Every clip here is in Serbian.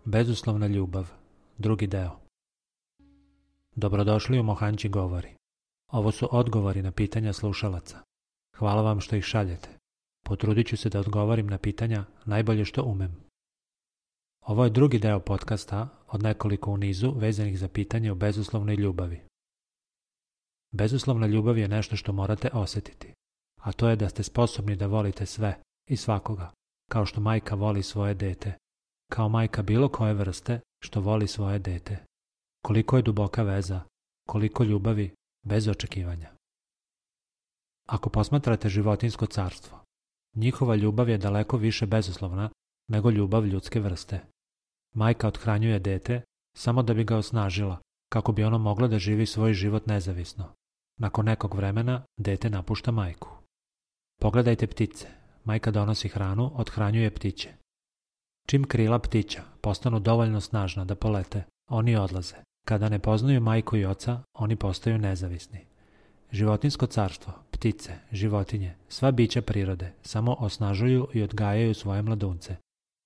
Bezuslovna ljubav, drugi deo. Dobrodošli u Mohanči govori. Ovo su odgovori na pitanja slušalaca. Hvala vam što ih šaljete. Potrudit ću se da odgovorim na pitanja najbolje što umem. Ovo je drugi deo podcasta od nekoliko u nizu vezanih za pitanje o bezuslovnoj ljubavi. Bezuslovna ljubav je nešto što morate osjetiti, a to je da ste sposobni da volite sve i svakoga, kao što majka voli svoje dete, kao majka bilo koje vrste što voli svoje dete. Koliko je duboka veza, koliko ljubavi bez očekivanja. Ako posmatrate životinjsko carstvo, njihova ljubav je daleko više bezuslovna nego ljubav ljudske vrste. Majka othranjuje dete samo da bi ga osnažila, kako bi ono moglo da živi svoj život nezavisno. Nakon nekog vremena dete napušta majku. Pogledajte ptice. Majka donosi hranu, othranjuje ptiće. Čim krila ptića postanu dovoljno snažna da polete, oni odlaze. Kada ne poznaju majku i oca, oni postaju nezavisni. Životinjsko carstvo, ptice, životinje, sva bića prirode samo osnažuju i odgajaju svoje mladunce.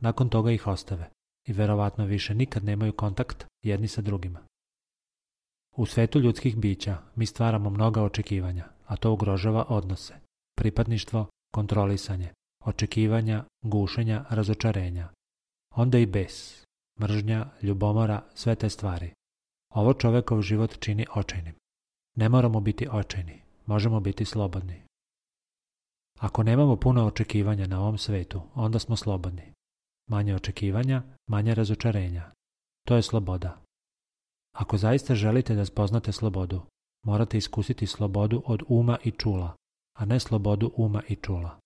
Nakon toga ih ostave i verovatno više nikad nemaju kontakt jedni sa drugima. U svetu ljudskih bića mi stvaramo mnoga očekivanja, a to ugrožava odnose, pripadništvo, kontrolisanje, očekivanja, gušenja, razočarenja. Onda i bes, mržnja, ljubomora, sve te stvari. Ovo čovekov život čini očajnim. Ne moramo biti očajni, možemo biti slobodni. Ako nemamo puno očekivanja na ovom svetu, onda smo slobodni. Manje očekivanja, manje razočarenja. To je sloboda. Ako zaista želite da spoznate slobodu, morate iskusiti slobodu od uma i čula, a ne slobodu uma i čula.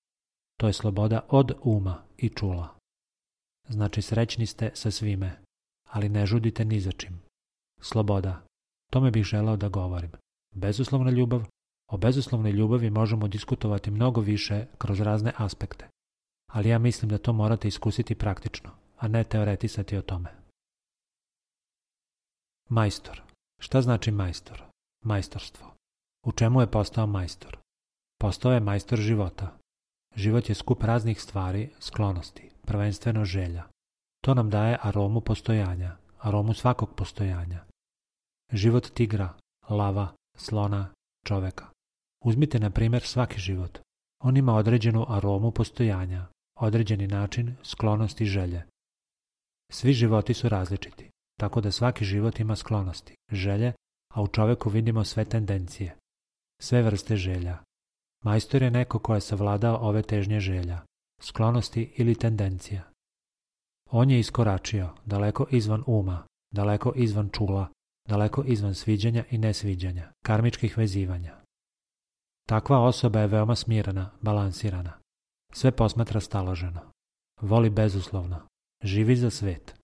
To je sloboda od uma i čula. Znači srećni ste sa svime, ali ne žudite ni za čim. Sloboda. Tome bih želeo da govorim. Bezuslovna ljubav. O bezuslovnoj ljubavi možemo diskutovati mnogo više kroz razne aspekte, ali ja mislim da to morate iskusiti praktično, a ne teoretisati o tome. Majstor. Šta znači majstor? Majstorstvo. U čemu je postao majstor? Postao je majstor života. Život je skup raznih stvari, sklonosti, prvenstveno želja. To nam daje aromu postojanja, aromu svakog postojanja. Život tigra, lava, slona, čoveka. Uzmite na primjer svaki život. On ima određenu aromu postojanja, određeni način, sklonost i želje. Svi životi su različiti, tako da svaki život ima sklonosti, želje, a u čoveku vidimo sve tendencije, sve vrste želja. Majstor je neko ko je savladao ove težnje želja, sklonosti ili tendencija. On je iskoračio daleko izvan uma, daleko izvan čula, daleko izvan sviđanja i nesviđanja, karmičkih vezivanja. Takva osoba je veoma smirena, balansirana. Sve posmatra staloženo. Voli bezuslovno. Živi za svet.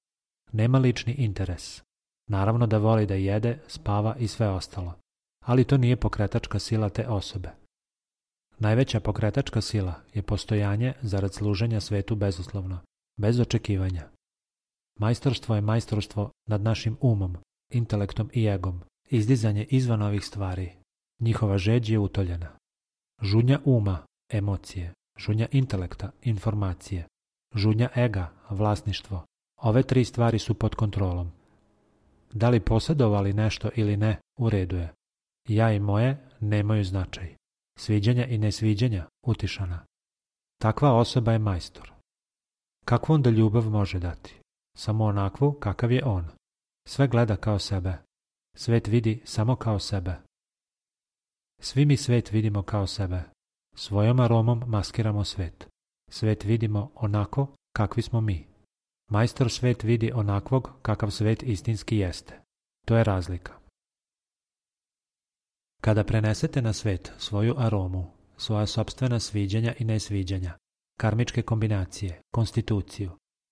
Nema lični interes. Naravno da voli da jede, spava i sve ostalo. Ali to nije pokretačka sila te osobe. Najveća pokretačka sila je postojanje zarad služenja svetu bezuslovno, bez očekivanja. Majstorstvo je majstorstvo nad našim umom, intelektom i egom, izdizanje izvan ovih stvari. Njihova žeđ je utoljena. Žudnja uma, emocije, žudnja intelekta, informacije, žudnja ega, vlasništvo. Ove tri stvari su pod kontrolom. Da li posjedovali nešto ili ne, u redu je. Ja i moje nemaju značaj. Sviđanja i nesviđanja, utišana. Takva osoba je majstor. Kakvu onda ljubav može dati? Samo onakvu kakav je on. Sve gleda kao sebe. Svet vidi samo kao sebe. Svi mi svet vidimo kao sebe. Svojom aromom maskiramo svet. Svet vidimo onako kakvi smo mi. Majstor svet vidi onakvog kakav svet istinski jeste. To je razlika. Kada prenesete na svet svoju aromu, svoja sopstvena sviđanja i nesviđanja, karmičke kombinacije, konstituciju,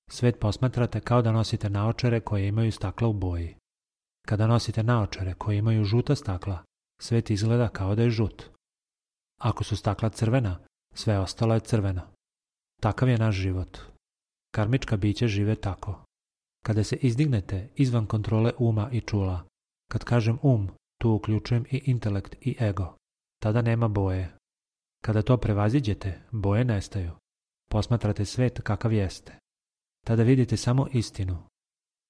svet posmatrate kao da nosite naočare koje imaju stakla u boji. Kada nosite naočare koje imaju žuta stakla, svet izgleda kao da je žut. Ako su stakla crvena, sve ostalo je crveno. Takav je naš život. Karmička bića žive tako. Kada se izdignete izvan kontrole uma i čula, kad kažem tu uključujem i intelekt i ego, tada nema boje. Kada to prevaziđete, boje nestaju. Posmatrate svet kakav jeste. Tada vidite samo istinu.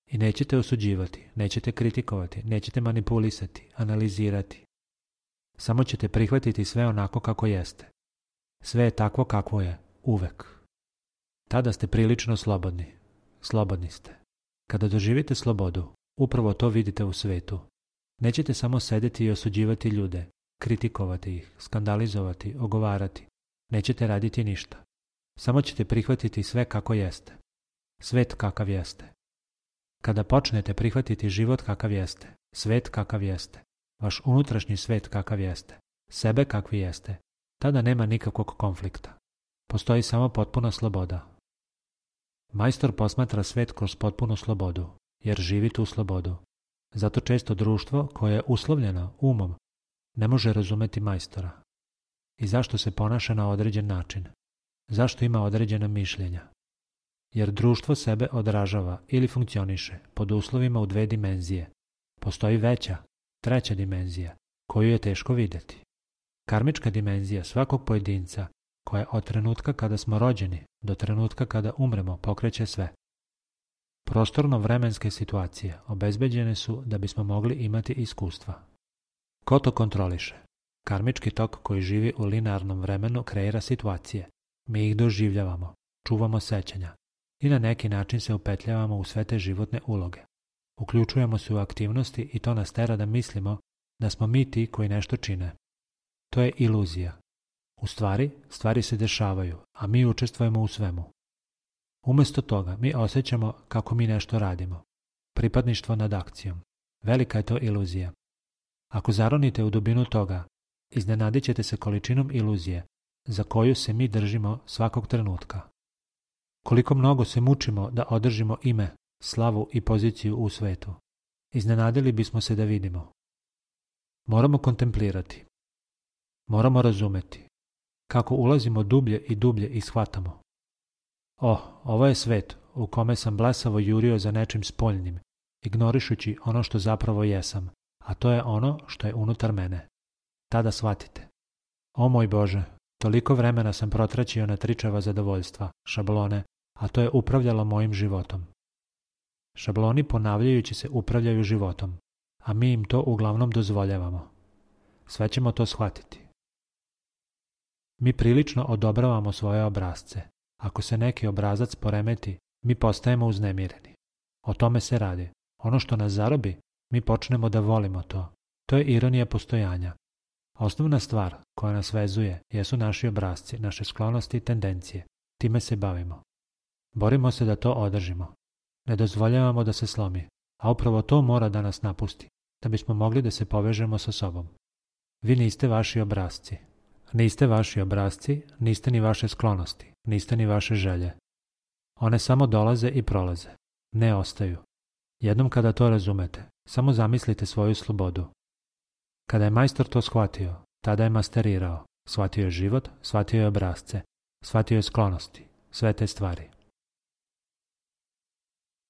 I nećete osuđivati, nećete kritikovati, nećete manipulisati, analizirati. Samo ćete prihvatiti sve onako kako jeste. Sve je takvo kakvo je, uvek. Tada ste prilično slobodni. Slobodni ste. Kada doživite slobodu, upravo to vidite u svetu. Nećete samo sedeti i osuđivati ljude, kritikovati ih, skandalizovati, ogovarati. Nećete raditi ništa. Samo ćete prihvatiti sve kako jeste. Svet kakav jeste. Kada počnete prihvatiti život kakav jeste, svet kakav jeste, vaš unutrašnji svet kakav jeste, sebe kakvi jeste, tada nema nikakvog konflikta. Postoji samo potpuna sloboda. Majstor posmatra svet kroz potpunu slobodu, jer živi tu slobodu. Zato često društvo koje je uslovljeno umom ne može razumeti majstora. I zašto se ponaša na određen način? Zašto ima određena mišljenja? Jer društvo sebe odražava ili funkcioniše pod uslovima u dve dimenzije. Postoji veća, treća dimenzija, koju je teško vidjeti. Karmička dimenzija svakog pojedinca, koja od trenutka kada smo rođeni do trenutka kada umremo pokreće sve. Prostorno-vremenske situacije obezbeđene su da bismo mogli imati iskustva. Ko to kontroliše? Karmički tok koji živi u linearnom vremenu kreira situacije. Mi ih doživljavamo, čuvamo sećanja i na neki način se upetljavamo u sve te životne uloge. Uključujemo se u aktivnosti i to nas tera da mislimo da smo mi ti koji nešto čine. To je iluzija. U stvari, stvari se dešavaju, a mi učestvujemo u svemu. Umjesto toga, mi osjećamo kako mi nešto radimo. Pripadništvo nad akcijom. Velika je to iluzija. Ako zaronite u dubinu toga, iznenadit ćete se količinom iluzije za koju se mi držimo svakog trenutka. Koliko mnogo se mučimo da održimo ime, slavu i poziciju u svetu. Iznenadili bismo se da vidimo. Moramo kontemplirati. Moramo razumeti. Kako ulazimo dublje i dublje i shvatamo. Ovo je svet u kome sam blesavo jurio za nečim spoljnim, ignorišući ono što zapravo jesam, a to je ono što je unutar mene. Tada shvatite. O moj Bože, toliko vremena sam protraćio na tričava zadovoljstva, šablone, a to je upravljalo mojim životom. Šabloni ponavljajući se upravljaju životom, a mi im to uglavnom dozvoljavamo. Sve ćemo to shvatiti. Mi prilično odobravamo svoje obrasce. Ako se neki obrazac poremeti, mi postajemo uznemireni. O tome se radi. Ono što nas zarobi, mi počnemo da volimo to. To je ironija postojanja. Osnovna stvar koja nas vezuje jesu naši obrasci, naše sklonosti i tendencije. Time se bavimo. Borimo se da to održimo. Ne dozvoljavamo da se slomi, a upravo to mora da nas napusti, da bismo mogli da se povežemo sa sobom. Vi niste vaši obrasci. Niste vaši obrasci, niste ni vaše sklonosti, niste ni vaše želje. One samo dolaze i prolaze. Ne ostaju. Jednom kada to razumete, samo zamislite svoju slobodu. Kada je majstor to shvatio, tada je masterirao. Shvatio je život, shvatio je obrasce, shvatio je sklonosti, sve te stvari.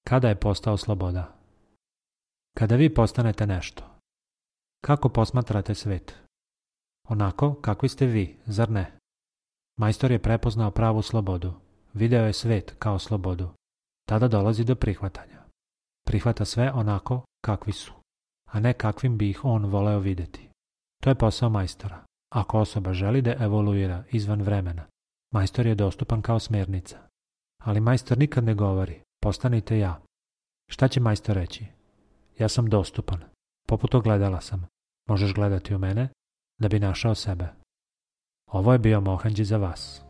Kada je postao sloboda? Kada vi postanete nešto. Kako posmatrate svet? Onako kakvi ste vi, zar ne? Majstor je prepoznao pravu slobodu. Video je svet kao slobodu. Tada dolazi do prihvatanja. Prihvata sve onako kakvi su, a ne kakvim bi ih on voleo vidjeti. To je posao majstora. Ako osoba želi da evoluira izvan vremena, majstor je dostupan kao smjernica. Ali majstor nikad ne govori, postanite ja. Šta će majstor reći? Ja sam dostupan. Poput ogledala sam. Možeš gledati u mene da bi našao sebe. Ovo je bio Mohanđi za vas.